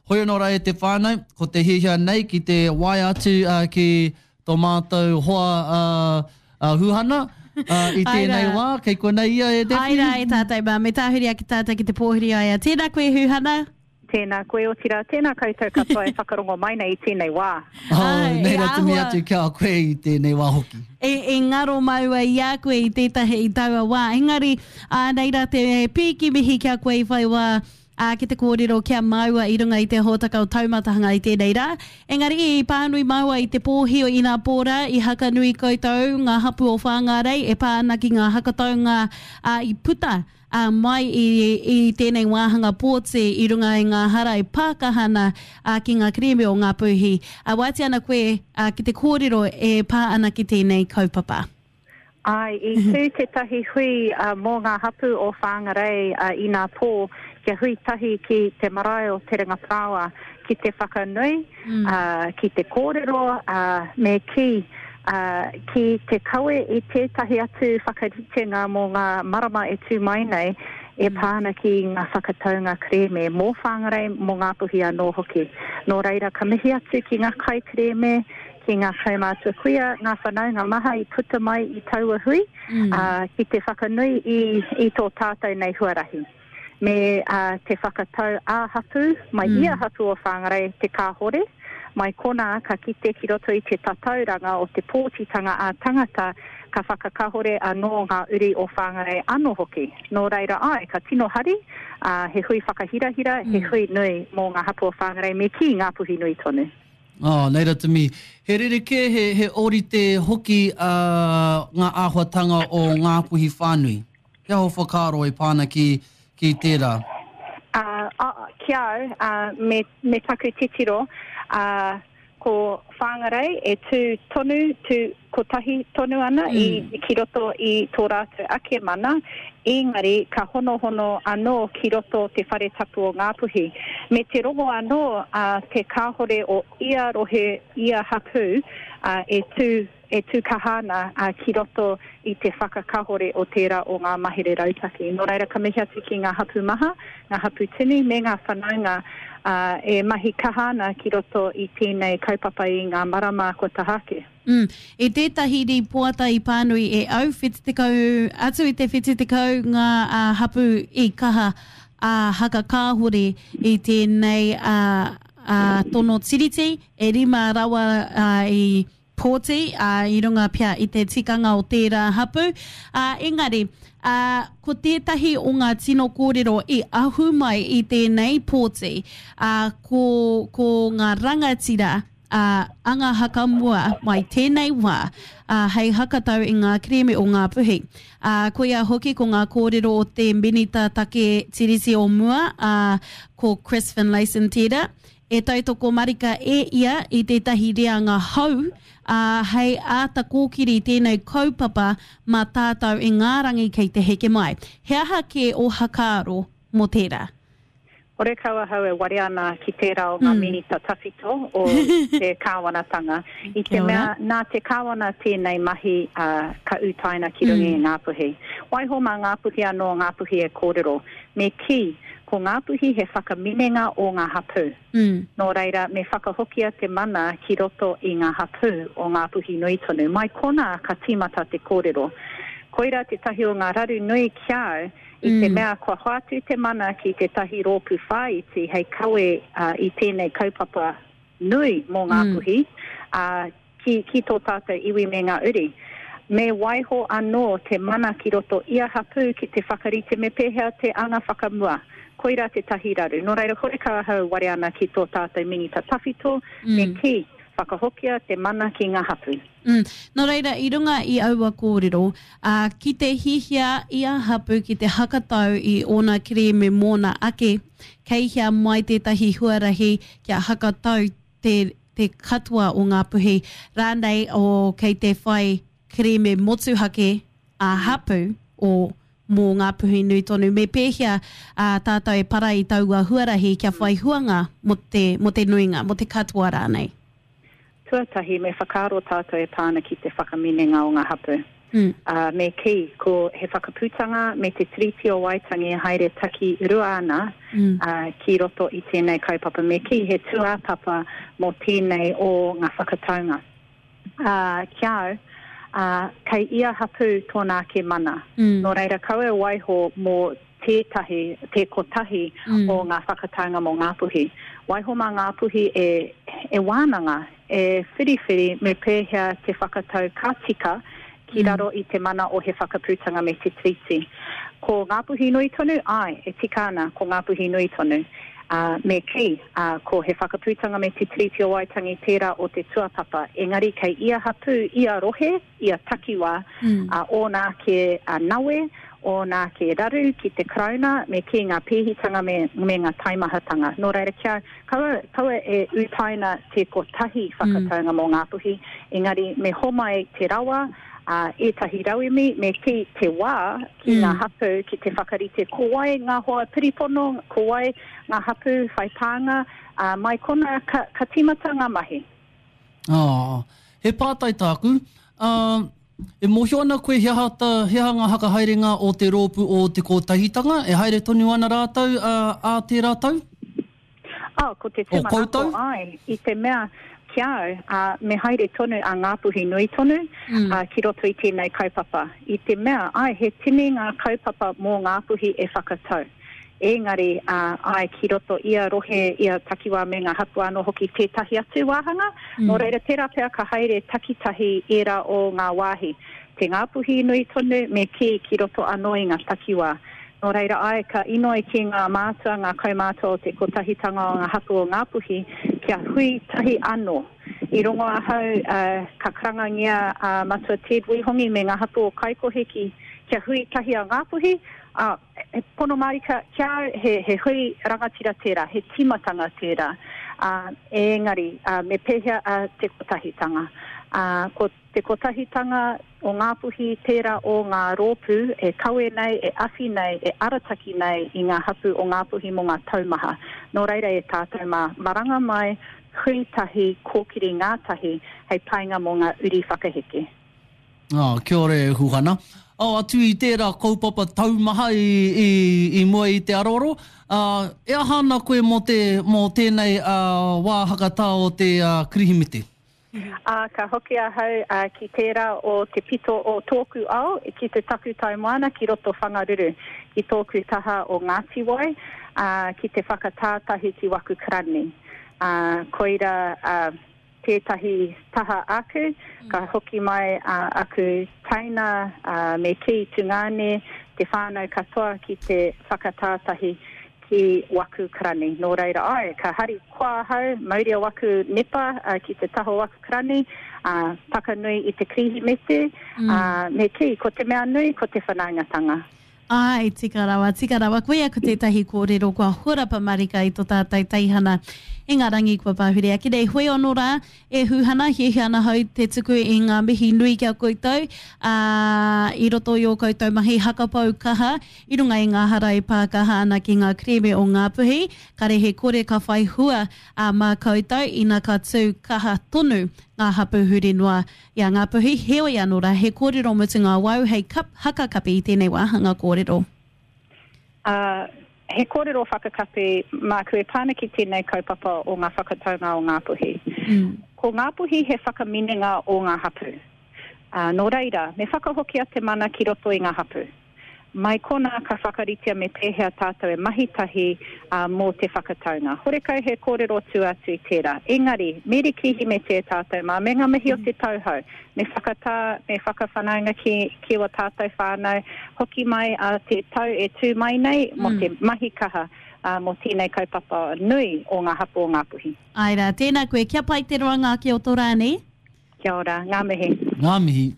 Hoi anō rā e te whānau, ko te hiahia nei ki te waea atu ki tō mātou hoa a Huhana i tēnei wā, kei konei ia e Daphne. Āe rā e tātou mā, me tāhuri ake tātou ki te pōhiri a ia. Tēnā koe Huhana. Tēnā koe, otirā, tēnā koutou katoa e whakarongo mai nei i tēnei wā. Oh, nei rā te mihi atu ki a koe i tēnei wā hoki. E, e ngaro māua i a koe i tētahi i taua wā. Engari, ā, nei rā te pīki mihi ki a koe i whai wā ā, ki te kōrero ki a māua i runga i te hōtaka o Taumatahanga i tēnei rā. Engari, i pānui māua i te pōhi o inapō rā, i haka nui koutou, ngā hapū o Whāngārei, e pā ana ki ngā hakataunga, ā, i puta, ā, mai i, i tēnei wāhanga pōti i runga i ngā hara e pākaha ana, ā, ki ngā kerēme o Ngāpuhi. Ā, wātea ana koe, ā, ki te kōrero e pā ana ki tēnei kaupapa. Āe, i tū tētahi hui mō ngā hapū o Whāngarei inapō kia hui tahi ki te marae o Te Ringaparāoa ki te whakanui, ki te kōrero, me kī, ki te kawe i tētahi atu whakaritenga mō ngā marama e tū mai nei e pā ana ki ngā whakataunga kerēme mō Whāngarei, mō Ngāpuhi anō hoki. Nō reira, ka mihi atu ki ngā kaikerēme, ki ngā kaumātua kuia, ngā whanaunga maha i puta mai i taua hui, ā, ki te whakanui i, i tō tātou nei huarahi. Me ā, te whakatau ā-hapū, mai ia hapū o Whāngarei te kāhore, mai konā ka kite ki roto i te tatauranga o te pōtitanga ā-tangata ka whakakahore anō ngā uri o Whāngarei anō hoki. Nō reira āe, ka tino hari, ā, he hui whakahirahira, he hui nui mō ngā hapū o Whāngarei me kī Ngāpuhi nui tonu. Oh, nei ra te mihi. He rerekē, he, he ōrite hoki uh, ngā āhuatanga o Ngāpuhi whānui. He aha ō whakaaro e pā ana ki, ki tērā? Uh, uh, ki au, uh, me, me taku titiro, uh, ko Whāngarei e tū tonu, tū kotahi tonu ana mm. i, ki roto i tō rātou ake mana, engari ka honohono anō ki roto te whare tapu o Ngāpuhi. Me te rongo anō a te kāhore o ia rohe, ia hapū a, e tū e tū kaha ana a, ki roto i te whakakahore o tērā o ngā mahere rautaki. Nō reira, ka mihi atu ki ngā hapū maha, ngā hapū tini me ngā whanaunga ā, e mahi kaha ana ki roto i tēnei kaupapa i ngā marama kua taha ake. Mm. I tētahi rīpoata i pānui e au, 70, atu i te 70 ngā ā, hapū i kaha ā, hakakāhore i tēnei ā, ā, tono tiriti, e rima rawa ā, i pōti, ā, i runga pea i te tikanga o tērā hapū. Ā, engari, ā, ko tētahi o ngā tino kōrero i ahu mai i tēnei pōti, ā, ko, ko ngā rangatira, ā, anga hakamua mai tēnei wā, ā, hei hakatau i ngā kerēme o Ngāpuhi. Ā, koia hoki ko ngā kōrero o te Minita Take Tiriti o mua, ā, ko Chris Finlayson tērā, E tautoko marika e ia i tētahi reanga hou, ā, hei āta kōkiri tēnei kaupapa mā tātou i ngā rangi kei te heke mai. He aha kē ō hakaaro mō tērā? Horekau ahau e warea ana ki tērā o ngā minita tawhito o te kāwanatanga, i te mea nā te kāwana tēnei mahi, ā, ka utaina ki runga i Ngāpuhi. Waiho mā Ngāpuhi anō Ngāpuhi e kōrero. Me kī, ko Ngāpuhi he whakaminenga o ngā hapū. Nō reira, me whakahokia te mana ki roto i ngā hapū o Ngāpuhi nui tonu. Mai konā ka tīmata te kōrero. Koirā tētahi o ngā raru nui ki a au, i te mea kua hoatu te mana ki tētahi rōpū whāiti hei kawe i tēnei kaupapa nui mō Ngāpuhi, ā, ki, ki tō tātou iwi me ngā uri. Me waiho anō te mana ki roto ia hapū ki te whakarite me pēhea te anga whakamua. Koirā tētahi raru. Nō reira, horekau ahau ware ana ki tō tātou minita tawhito, me kī, whakahokia te mana ki ngā hapū. Mm. Nō reira, i runga i aua kōrero, ā, ki te hihia ia hapū ki te hakatau i ōna kerēme mōna ake, kei hea mai tētahi huarahi kia hakatau te te katoa o Ngāpuhi, rānei o kei te whai kerēme motuhake ā-hapū o mō Ngāpuhi nui tonu. Me pēhea ā tātou e para i taua huarahi kia whai huanga mō te, mō te nuinga, mō te katoa rānei? Tuatahi, me whakaaro tātou e pā ana ki te whakaminenga o ngā hapū. Ā, me kī, ko He Whakaputanga me Te Tiriti o Waitangi e haere taki rua ana ā, ki roto i tēnei kaupapa. Me kī, he tūāpapa mō tēnei o ngā whakataunga. Ā, ki a au, ā, kei ia hapū tōna ake mana. Nō reira, kaua e waiho mō tētahi, te kotahi o ngā whakataunga mō Ngāpuhi. Waiho mā Ngāpuhi e, e wānanga, e whiriwhiri me pēhea te whakatau ka tika ki raro i te mana o He Whakaputanga me Te Tiriti. Ko Ngāpuhi nui tonu, āe, e tika ana, ko Ngāpuhi nui tonu. Ā, me kī, ā, ko He Whakaputanga me Te Tiriti o Waitangi tērā o te tuapapa, engari kei ia hapū, ia rohe, ia takiwā, ā, ōna ake nawe, ōna ake raru ki te Karauna, me kī ngā pēhitanga me, me ngā taimahatanga. Nō reira, kia kaua, kaua e utaina te kotahi whakataunga mō Ngāpuhi, engari me homai te rawa, ā, ētahi rauemi, me kī te wā ki ngā hapū ki te whakarite ko wai ngā hoa piripono, ko wai ngā hapū whai pānga, ā, mai konā ka, ka tīmata ngā mahi. Ā, he pātai tāku, ā, e mōhio ana koe he aha ta, he aha ngā hakahaerenga o te rōpū o Te Kotahitanga, e haere tonu ana rātou, ā, ā tērā tau? Ā, ko te O tūmanako, koutou? āe, i te mea, ki a au, ā, me haere tonu a Ngāpuhi nui tonu, ā, ki roto i tēnei kaupapa. I te mea, āe, he tini ngā kaupapa mō Ngāpuhi e whakatau. Engari, ā, āe, ki roto ia rohe, ia takiwā me ngā hapū anō hoki tētahi atu wāhanga. Nō reira, tērā pea ka haere takitahi ērā o ngā wāhi. Te Ngāpuhi nui tonu, me kī, ki roto anō i ngā takiwā. Nō reira, āe, ka inoi ki ngā mātua, ngā kaumātua o te Kotahitanga o ngā Hapū o Ngāpuhi, kia hui tahi anō. I rongo ahau, ā, ka karangangia a Matua Ted Wihongi me ngā hapū o Kaikohe ki, kia hui tahi a Ngāpuhi, ā, He pono mārika ki a au, he, he hui rangatira tērā, he tīmatanga tērā. Ā, engari, ā, me pēhea a Te Kotahitanga? Ā, ko Te Kotahitanga o Ngāpuhi tērā o ngā rōpū e kawe nei, e awhi nei, e arataki nei i ngā hapū o Ngāpuhi mō ngā tau maha. Nō reira e tātou mā, maranga mai, hui tahi, kōkiri ngātahi hei painga mō ngā uri whakaheke. Oh, kia ora e Huhana. Oh, atu i tērā kaupapa taumaha i, i, i mua i te aroaro, uh, e aha ana koe mō, te, mō tēnei uh, wā hakatā o te uh, Kirihimete? Ā, ka hoki ahau uh, ki tērā o te pito o tōku ao, ki te takutai moana, ki roto Whangaruru, ki tōku taha o Ngāti Wai, ā, ki te whakatātahi ki waku karani. Ā, koira, ā, tētahi taha aku, ka hoki mai a aku teina me kī tungāne, te whānau katoa ki te whakatātahi ki waku karani. Nō reira, āe, ka hari koa ahau, mauria waku nepa ki te taha o waku karani, ā, whakanui i te Kirihimete, ā, me kī, ko te mea nui, ko te whanaungatanga. Āe, tika rawa, tika rawa. Koia ko tētahi kōrero kua horapa marika i to tātou teihana i ngā rangi kua pahure ake nei. Hoi anō rā, e Huhana, hiahia ana hau te tuku i ngā mihi nui ki a koutou, ā, i roto i ō koutou mahi hakapau kaha i runga i ngā hara e pā kaha ana ki ngā kerēme o Ngāpuhi, kare he kore ka whai hua, ā, mā koutou, ina ka tū kaha tonu ngā hapū huri noa I a Ngāpuhi, heoi anō rā, he kōrero mutunga wau hei kap, hakakapi i tēnei wāhanga kōrero. Ā, he kōrero whakakapi māku e pā ana ki tēnei kaupapa o ngā whakataunga o Ngāpuhi. Ko Ngāpuhi he whakaminenga o ngā hapū. Ā, nō reira, me whakahokia te mana ki roto i ngā hapū. Mai konā ka whakaritea me pēhea tātou e mahi tahi mō te whakataunga. Horekau he kōrero tua atu i tērā. Engari, me Kirihimete e tātou mā, me ngā mihi o te tauhou, me whakatā, me whakawhanaunga ki, ki ō tātou whānau, hoki mai a te tau e tū mai nei mō te mahi kaha mō tēnei kaupapa nui o ngā hapū o Ngāpuhi. Āe rā, tēnā koe, kia pai te roanga ake o tō rā, nē? Kia ora, ngā mihi. Ngā mihi.